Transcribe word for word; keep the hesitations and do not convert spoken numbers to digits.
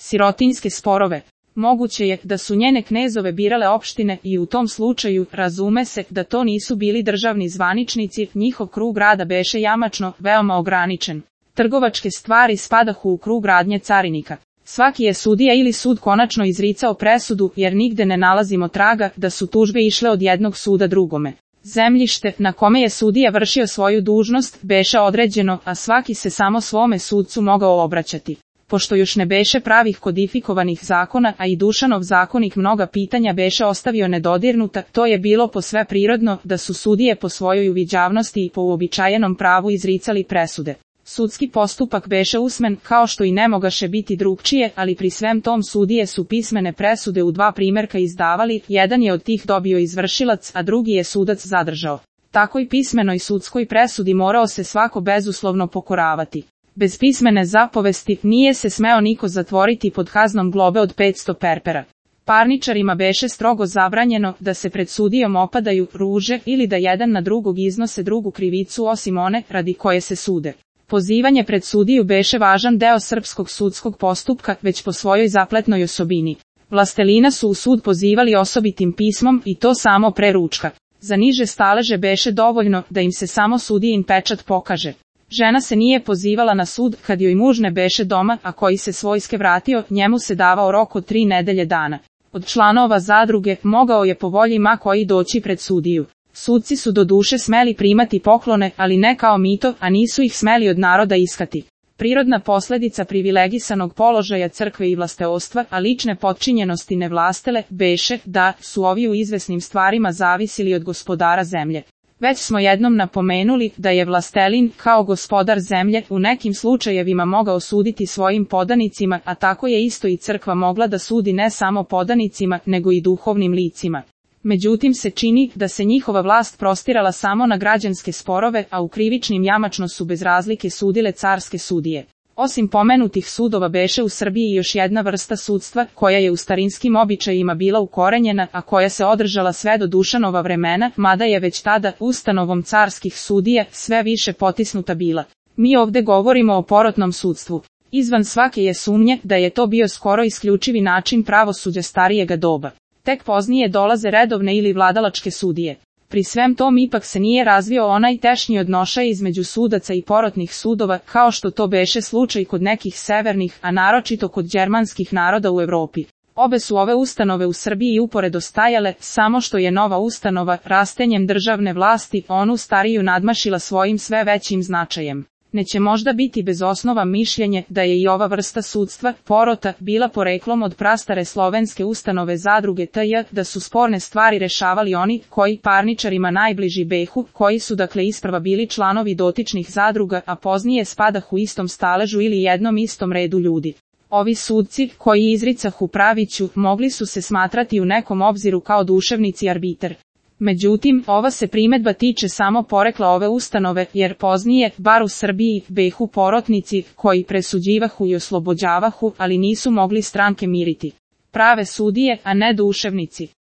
sirotinjske sporove. Moguće je da su njene knezove birale opštine i u tom slučaju razume se da to nisu bili državni zvaničnici, njihov krug rada beše jamačno veoma ograničen. Trgovačke stvari spadahu u krug radnje carinika. Svaki je sudija ili sud konačno izricao presudu jer nigde ne nalazimo traga da su tužbe išle od jednog suda drugome. Zemljište na kome je sudija vršio svoju dužnost beše određeno, a svaki se samo svome sudcu mogao obraćati. Pošto još ne beše pravih kodifikovanih zakona, a i Dušanov zakonik mnoga pitanja beše ostavio nedodirnuta, to je bilo posve prirodno da su sudije po svojoj uviđavnosti i po uobičajenom pravu izricali presude. Sudski postupak beše usmen, kao što i ne mogaše biti drugčije, ali pri svem tom sudije su pismene presude u dva primjerka izdavali, jedan je od tih dobio izvršilac, a drugi je sudac zadržao. Takoj pismenoj sudskoj presudi morao se svako bezuslovno pokoravati. Bez pismene zapovesti nije se smeo niko zatvoriti pod kaznom globe od petsto perpera. Parničarima beše strogo zabranjeno da se pred sudijom opadaju, ruže ili da jedan na drugog iznose drugu krivicu osim one radi koje se sude. Pozivanje pred sudiju beše važan deo srpskog sudskog postupka već po svojoj zapletnoj osobini. Vlastelina su u sud pozivali osobitim pismom i to samo pre ručka. Za niže staleže beše dovoljno da im se samo sudijin pečat pokaže. Žena se nije pozivala na sud kad joj muž ne beše doma, a koji se s vojske vratio, njemu se davao rok od tri nedelje dana. Od članova zadruge mogao je po volji ma koji doći pred sudiju. Sudci su do duše smeli primati poklone, ali ne kao mito, a nisu ih smeli od naroda iskati. Prirodna posledica privilegisanog položaja crkve i vlasteostva, a lične potčinjenosti nevlastele, beše da su ovi u izvesnim stvarima zavisili od gospodara zemlje. Već smo jednom napomenuli da je vlastelin, kao gospodar zemlje, u nekim slučajevima mogao suditi svojim podanicima, a tako je isto i crkva mogla da sudi ne samo podanicima, nego i duhovnim licima. Međutim se čini da se njihova vlast prostirala samo na građanske sporove, a u krivičnim jamačno su bez razlike sudile carske sudije. Osim pomenutih sudova beše u Srbiji još jedna vrsta sudstva, koja je u starinskim običajima bila ukorenjena, a koja se održala sve do Dušanova vremena, mada je već tada ustanovom carskih sudija sve više potisnuta bila. Mi ovde govorimo o porotnom sudstvu. Izvan svake je sumnje da je to bio skoro isključivi način pravosuđa starijega doba. Tek poznije dolaze redovne ili vladalačke sudije. Pri svem tom ipak se nije razvio onaj tešnji odnošaj između sudaca i porotnih sudova, kao što to beše slučaj kod nekih severnih, a naročito kod đermanskih naroda u Evropi. Obe su ove ustanove u Srbiji uporedo stajale, samo što je nova ustanova, rastenjem državne vlasti, onu stariju nadmašila svojim sve većim značajem. Neće možda biti bez osnova mišljenje da je i ova vrsta sudstva, porota, bila poreklom od prastare slovenske ustanove zadruge T J, da su sporne stvari rešavali oni koji parničarima najbliži behu, koji su dakle isprva bili članovi dotičnih zadruga, a poznije spadahu istom staležu ili jednom istom redu ljudi. Ovi sudci, koji izricahu praviću, mogli su se smatrati u nekom obziru kao duševnici arbiter. Međutim, ova se primedba tiče samo porekla ove ustanove, jer poznije, bar u Srbiji, behu porotnici, koji presuđivahu i oslobođavahu, ali nisu mogli stranke miriti. Prave sudije, a ne duševnici.